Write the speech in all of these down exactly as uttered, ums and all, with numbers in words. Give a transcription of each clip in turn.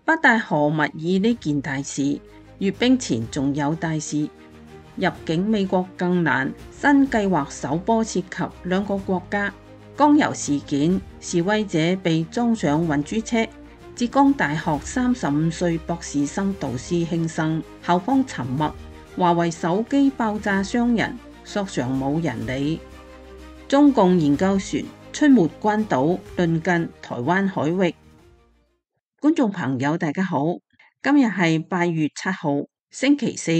北戴河密議呢件大事，閱兵前仲有大事，入境美國更難。新計劃首波涉及兩個國家。江油事件，示威者被裝上運輸車。浙江大學三十五歲博士生導師輕生，校方沉默。華為手機爆炸傷人，索償冇人理。中共研究船出沒關島，鄰近台灣海域。觀眾朋友大家好，今日係八月七號星期四。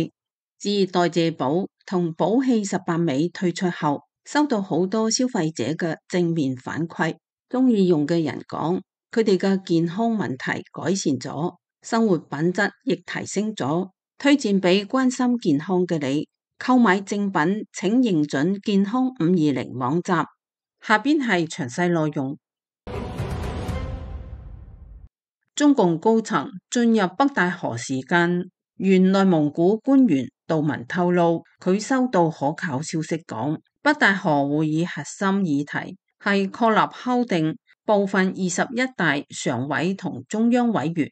自代謝寶同寶氣十八味推出後，收到好多消費者嘅正面反饋，中意用嘅人講佢哋嘅健康問題改善咗，生活品質亦提升咗，推薦俾關心健康嘅你。購買正品請認準健康五二零網站。下邊係詳細內容。中共高層進入北戴河時間，原內蒙古官員杜文透露，佢收到可靠消息講，北戴河會議核心議題係確立敲定部分二十一大常委同中央委員。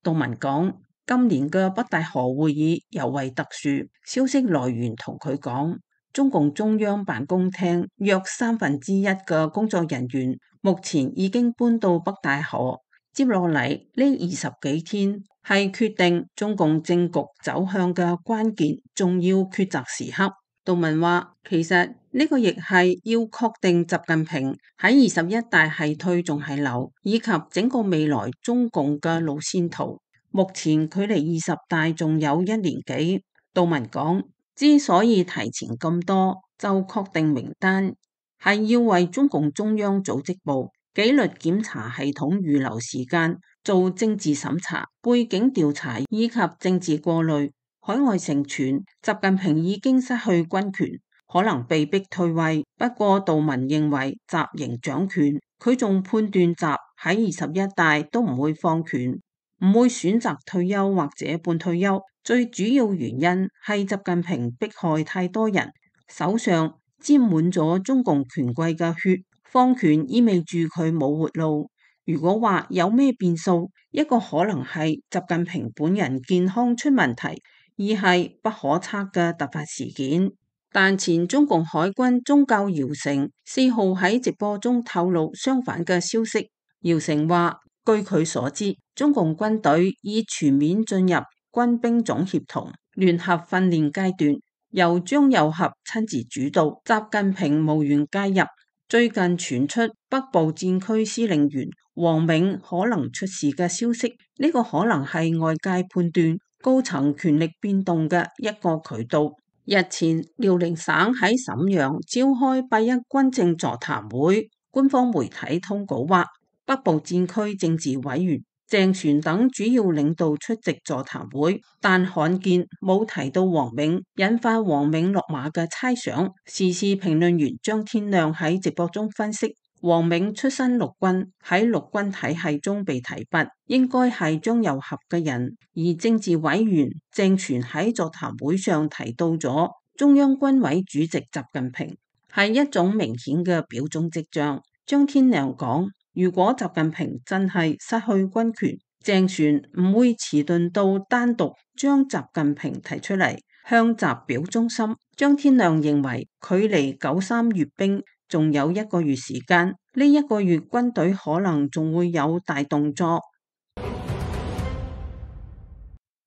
杜文講，今年嘅北戴河會議尤為特殊，消息來源同佢講，中共中央辦公廳約三分之一嘅工作人員目前已經搬到北戴河。接落嚟呢二十幾天係決定中共政局走向嘅關鍵重要抉擇時刻。杜文話，其實呢個亦係要確定習近平喺二十一大係退仲係留，以及整個未來中共嘅路線圖。目前距離二十大仲有一年幾。杜文講，之所以提前咁多就確定名單，係要為中共中央組織部紀律檢查系統預留時間，做政治審查、背景調查以及政治過濾。海外盛傳習近平已經失去軍權，可能被逼退位。不過杜文認為習仍掌權，佢仲判斷習喺二十一大都唔會放權，唔會選擇退休或者半退休。最主要原因係習近平迫害太多人，手上沾滿咗中共權貴嘅血。放權意味住佢冇活路。如果話有咩變數，一個可能係習近平本人健康出問題，二係不可測嘅突發事件。但前中共海軍中校姚成四號喺直播中透露相反嘅消息。姚成話，據佢所知，中共軍隊已全面進入軍兵總協同聯合訓練階段，由張又俠親自主導，習近平無緣介入。最近傳出北部戰區司令員王銘可能出事嘅消息，呢、這個可能係外界判斷高層權力變動嘅一個渠道。日前遼寧省喺瀋陽召開八一軍政座談會，官方媒體通稿話，北部戰區政治委員鄭旋等主要領導出席座談會，但罕見冇提到王銘，引發王銘落馬嘅猜想。時事評論員張天亮喺直播中分析，王銘出身陸軍，喺陸軍體系中被提拔，應該係張又俠嘅人。而政治委員鄭旋喺座談會上提到咗中央軍委主席習近平，係一種明顯嘅表忠跡象。張天亮講，如果習近平真係失去軍權，鄭旋唔會遲鈍到單獨將習近平提出嚟向習表忠心。張天亮認為，距離九三閱兵仲有一個月時間，呢一個月軍隊可能仲會有大動作。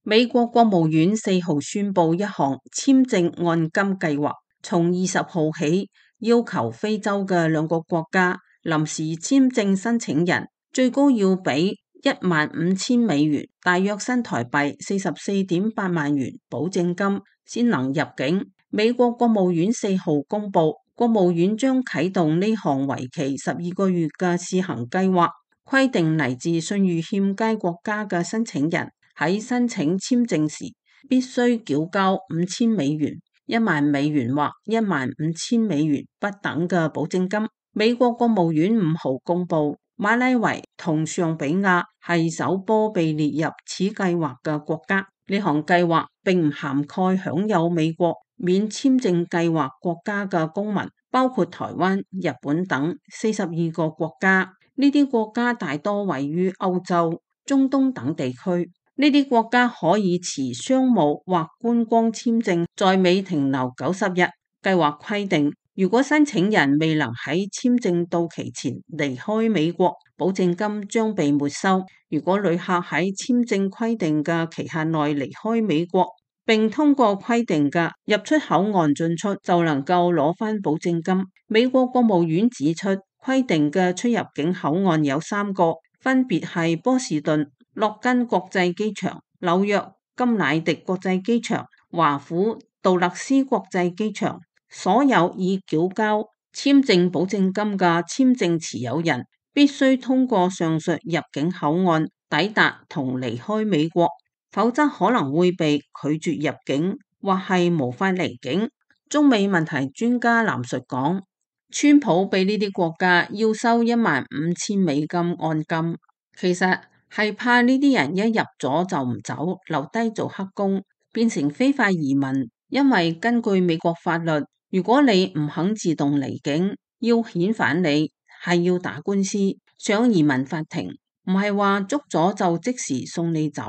美國國務院四號宣布一項簽證按金計劃，從二十號起要求非洲嘅兩個國家臨時簽證申請人最高要俾一萬五千美元，大約新台幣四十四點八萬元保證金，先能入境。美國國務院四號公布，國務院將啟動呢項為期十二個月嘅試行計劃，規定嚟自信譽欠佳國家嘅申請人喺申請簽證時必須繳交五千美元、一萬美元或一萬五千美元不等嘅保證金。美國國務院五號公布，馬拉維同尚比亞係首波被列入此計劃嘅國家。呢項計劃並唔涵蓋享有美國免簽證計劃國家嘅公民，包括台灣、日本等四十二個國家。呢啲國家大多位於歐洲。中東等地區。呢啲國家可以持商務或觀光簽證在美停留九十日。計劃規定，如果申請人未能喺簽證到期前離開美國，保證金將被沒收。如果旅客喺簽證規定嘅期限內離開美國，並通過規定嘅入出口岸進出，就能夠攞返保證金。美國國務院指出，規定嘅出入境口岸有三個，分別係波士頓、洛根國際機場、紐約金乃迪國際機場、華府杜勒斯國際機場。所有已繳交簽證保證金嘅簽證持有人必須通過上述入境口岸抵達同離開美國，否則可能會被拒絕入境或係無法離境。中美問題專家藍述講，川普俾呢啲國家要收一萬五千美金按金，其實係怕呢啲人一入咗就唔走，留低做黑工，變成非法移民。因為根據美國法律，如果你唔肯自動離境，要遣返你係要打官司，上移民法庭，唔係話捉咗就即時送你走。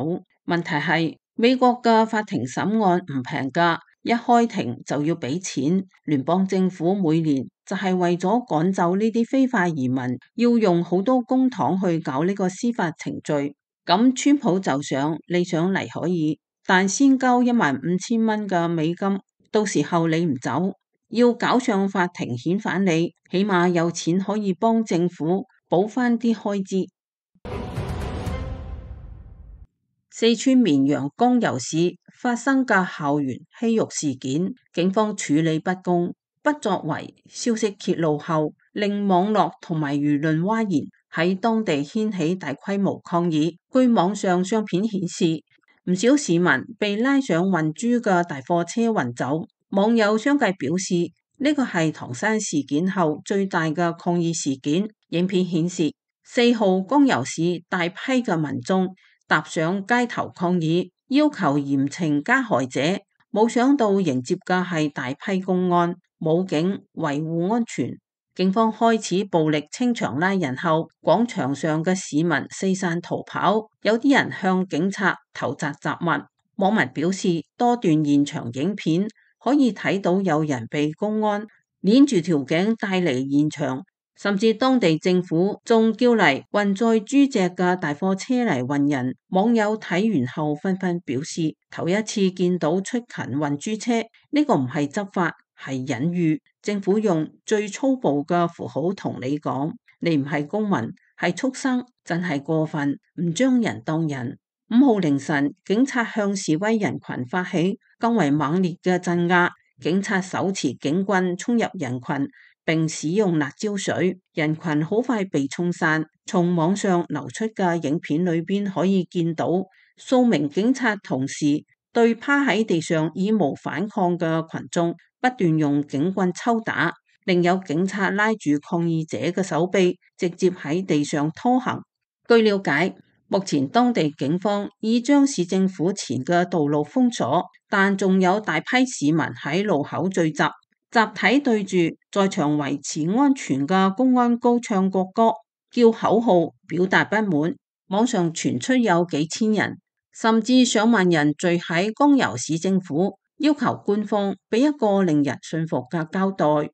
問題係美國嘅法庭審案唔平㗎，一開庭就要俾錢。聯邦政府每年就係為咗趕走呢啲非法移民，要用好多公帑去搞呢個司法程序。咁川普就想，你想嚟可以，但先交一萬五千蚊嘅美金，到時候你唔走，要搞上法庭遣返你，起碼有錢可以幫政府補翻啲開支。四川綿陽江油市發生嘅校園欺辱事件，警方處理不公不作為，消息揭露後令網絡同埋輿論譁然，喺當地掀起大規模抗議。據網上相片顯示，唔少市民被拉上運豬嘅大貨車運走。網友相繼表示，呢個係唐山事件後最大嘅抗議事件。影片顯示，四號江油市大批嘅民眾踏上街頭抗議，要求嚴懲加害者。冇想到迎接嘅係大批公安、武警維護安全。警方開始暴力清場拉人後，廣場上嘅市民四散逃跑，有啲人向警察投擲雜物。網民表示，多段現場影片可以睇到有人被公安鏈住條頸帶離現場，甚至當地政府仲叫嚟運載豬隻嘅大貨車嚟運人。網友睇完後紛紛表示，頭一次見到出勤運豬車，呢個唔係執法，係隱喻。政府用最粗暴嘅符號同你講，你唔係公民，係畜生，真係過分，唔將人當人。五號凌晨，警察向示威人群發起更為猛烈嘅鎮壓，警察手持警棍衝入人群，並使用辣椒水，人群好快被沖散。從網上流出嘅影片裏邊可以見到，數名警察同時對趴喺地上以無反抗嘅群眾不斷用警棍抽打，另有警察拉住抗議者嘅手臂，直接喺地上拖行。據了解，目前當地警方已將市政府前嘅道路封鎖，但仲有大批市民喺路口聚集，集體對住在場維持安全嘅公安高唱國歌、叫口號，表達不滿。網上傳出有幾千人，甚至上萬人聚喺江油市政府，要求官方俾一個令人信服嘅交代。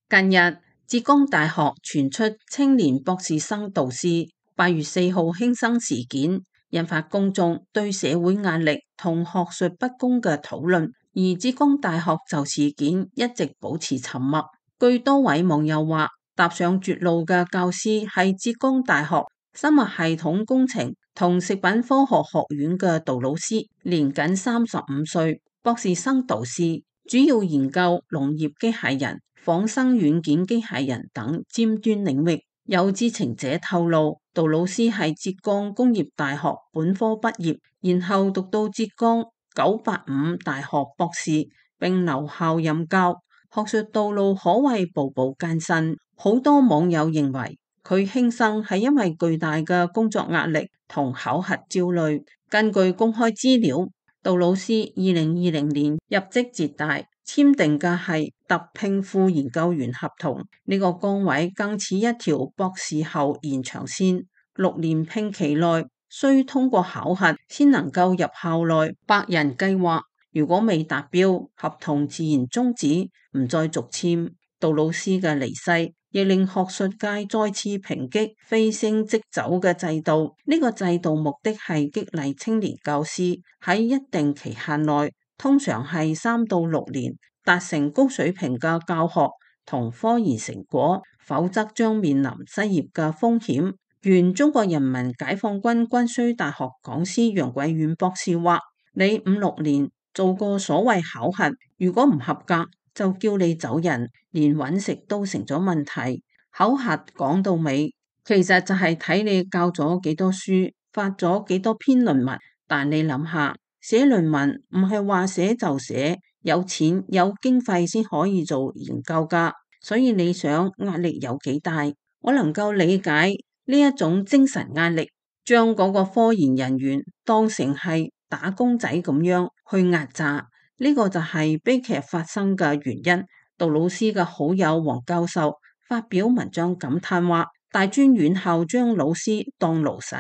近日，浙江大學傳出青年博士生導師八月四號輕生事件，引發公眾對社會壓力同學術不公嘅討論。而浙江大學就事件一直保持沉默。據多位網友話，踏上絕路嘅教師係浙江大學生物系統工程同食品科學學院嘅杜老師，年僅三十五歲，博士生導師，主要研究農業機械人、仿生軟件機械人等尖端領域。有知情者透露，杜老師係浙江工業大學本科畢業，然後讀到浙江九八五大學博士，並留校任教，學術道路可謂步步艱辛。好多網友認為佢輕生係因為巨大嘅工作壓力同考核焦慮。根據公開資料，杜老師二零二零年入職浙大，簽訂嘅係特聘副研究員合同，呢個崗位更似一條博士後延長線，六年聘期內需通過考核先能夠入校內百人計劃，如果未達標，合同自然終止，唔再續簽。杜魯斯嘅離世亦令學術界再次抨擊非升即走嘅制度，呢個制度目的係激勵青年教師喺一定期限內，通常係三到六年，達成高水平嘅教學同科研成果，否則將面臨失業嘅風險。原中國人民解放軍軍需大學講師楊貴遠博士話：你五六年做過所謂考核，如果唔合格，就叫你走人，連揾食都成咗問題。考核講到尾，其實就係睇你教咗幾多書，發咗幾多篇論文。但你諗下，寫論文唔係話寫就寫，有錢有經費先可以做研究噶。所以你想壓力有幾大？我能夠理解呢一種精神壓力，將嗰個科研人員當成係打工仔咁樣去壓榨。呢個就係悲劇發生嘅原因。杜魯斯嘅好友黃教授發表文章感嘆話：大專院校將老師當奴使，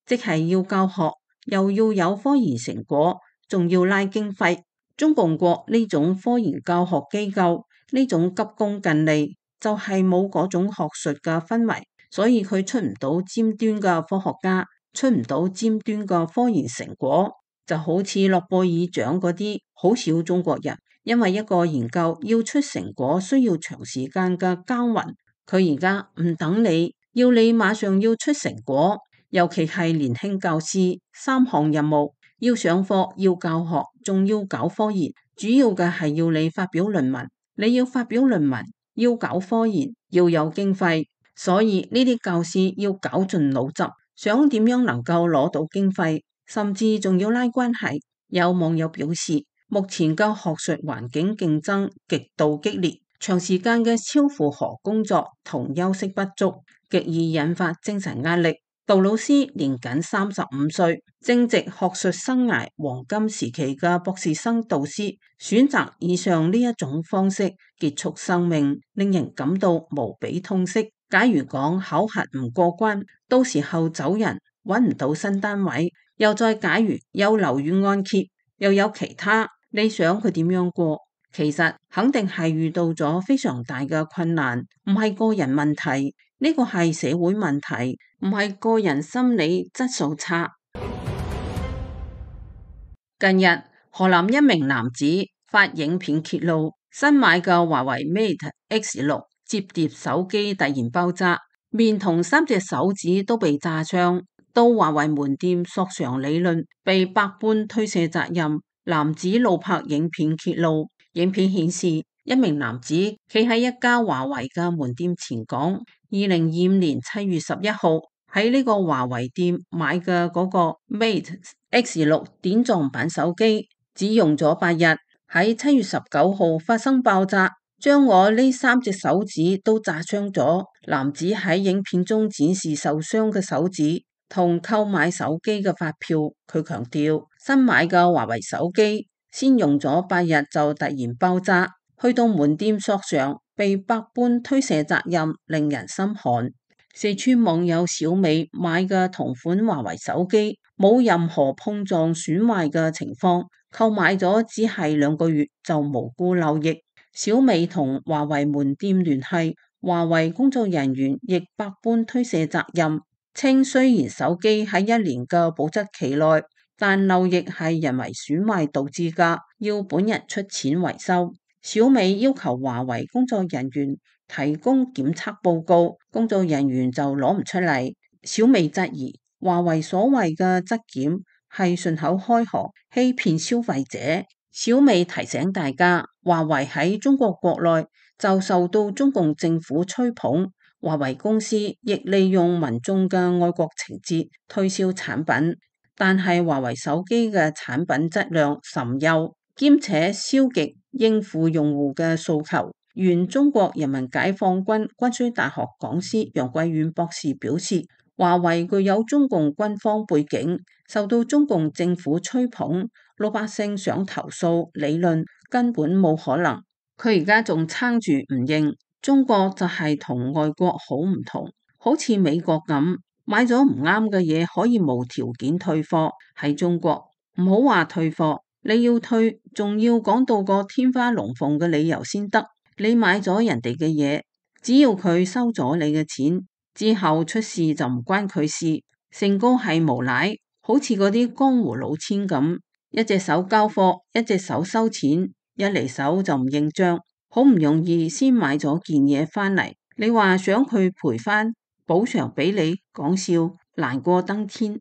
即係要教學，又要有科研成果，仲要拉經費。中共國呢種科研教學機構，呢種急功近利，就係冇嗰種學術嘅氛圍，所以佢出唔到尖端嘅科學家，出唔到尖端嘅科研成果。就好似諾貝爾獎嗰啲，好少中國人，因為一個研究要出成果需要長時間嘅耕耘，佢而家唔等你，要你馬上要出成果，尤其係年輕教師，三項任務，要上課，要教學，仲要搞科研，主要嘅係要你發表論文，你要發表論文，要搞科研，要有經費，所以呢啲教師要絞盡腦汁，想點樣能夠攞到經費，甚至仲要拉關係。有網友表示，目前嘅學術環境競爭極度激烈，長時間嘅超負荷工作同休息不足，極易引發精神壓力。杜魯斯年僅三十五歲，正值學術生涯黃金時期嘅博士生導師，選擇以上呢一種方式結束生命，令人感到無比痛惜。假如講考核唔過關，到時候走人，揾唔到新單位，又再假如有樓宇按揭，又有其他，你想佢點樣過？其實肯定係遇到咗非常大嘅困難，唔係個人問題，呢個係社會問題，唔係個人心理質素差。近日，河南一名男子發影片揭露，新買嘅華為 Mate X 六摺疊手機突然爆炸，面同三隻手指都被炸傷，到華為門店索償理論，被百般推卸責任。男子怒拍影片揭露，影片顯示一名男子企喺一家華為嘅門店前講，二零二五年七月十一號喺呢個華為店買嘅嗰個 Mate X 六點狀版手機，只用咗八日，喺七月十九號發生爆炸，將我呢三隻手指都炸傷咗。男子喺影片中展示受傷嘅手指同購買手機嘅發票，佢強調新買嘅華為手機先用咗八日就突然爆炸，去到門店索償被百般推卸責任，令人心寒。四川網友小美買嘅同款華為手機冇任何碰撞損壞嘅情況，購買咗只係兩個月就無辜漏疫。小美同華為門店聯繫，華為工作人員亦百般推卸責任，稱雖然手機喺一年嘅保質期內，但漏液係人為損壞導致㗎，要本人出錢維修。小美要求華為工作人員提供檢測報告，工作人員就攞唔出嚟。小美質疑華為所謂嘅質檢係順口開河，欺騙消費者。小美提醒大家，華為喺中國國內就受到中共政府吹捧，華為公司亦利用民眾嘅愛國情節推銷產品，但係華為手機嘅產品質量甚優，兼且消極應付用戶嘅訴求。原中國人民解放軍軍需大學講師楊貴遠博士表示，華為具有中共軍方背景，受到中共政府吹捧，老百姓想投訴理論根本冇可能。佢而家仲撐住唔認，中國就係同外國好唔同，好似美國咁，買咗唔啱嘅嘢可以無條件退貨。喺中國唔好話退貨，你要退仲要講到個天花龍鳳嘅理由先得。你買咗人哋嘅嘢，只要佢收咗你嘅錢之後出事就唔關佢事，成個係無賴，好似嗰啲江湖老千咁，一隻手交貨，一隻手收錢，一嚟手就唔認賬，好唔容易先買咗件嘢返嚟，你話想佢賠返補償俾你，講笑，難過登天。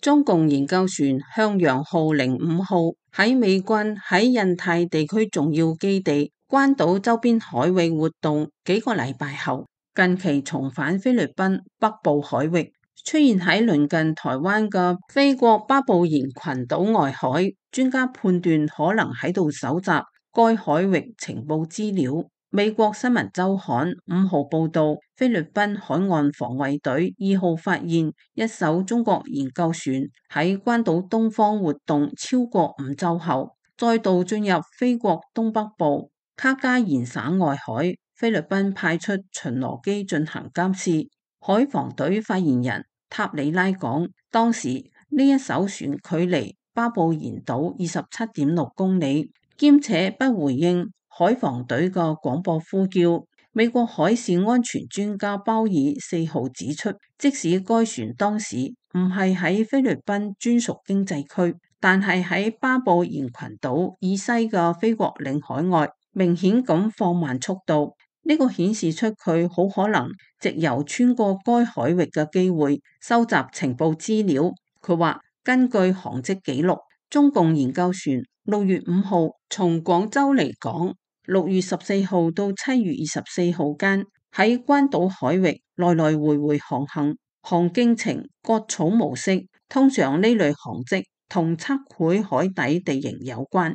中共研究船向陽號零五號喺美軍喺印太地區重要基地關島周邊海域活動幾個禮拜後，近期重返菲律賓北部海域，出現喺鄰近台灣嘅菲國巴布延群島外海，專家判斷可能喺度搜集該海域情報資料。美國新聞週刊五號報道，菲律賓海岸防衛隊二號發現一艘中國研究船喺關島東方活動超過五週後，再度進入菲國東北部卡加延省外海。菲律賓派出巡邏機進行監視。海防隊發言人塔里拉講，當時呢一艘船距離巴布延島二十七點六公里，兼且不回應海防隊嘅廣播呼叫。美國海事安全專家鮑爾四號指出，即使該船當時唔係喺菲律賓專屬經濟區，但係喺巴布延群島以西嘅菲國領海外，明顯咁放慢速度。呢個顯示出佢好可能藉由穿過該海域嘅機會收集情報資料。佢話根據航跡記錄，中共研究船六月五號從廣州離港，六月十四號到七月二十四號間喺關島海域來來回回航行，航徑呈割草模式。通常呢類航跡同測繪海底地形有關。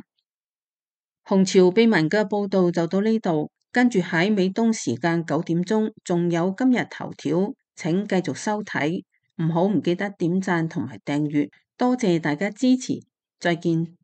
紅潮秘聞嘅報道就到呢度。跟住喺美東時間九點鐘，仲有今日頭條，請繼續收睇，唔好唔記得點讚同埋訂閱，多謝大家支持，再見。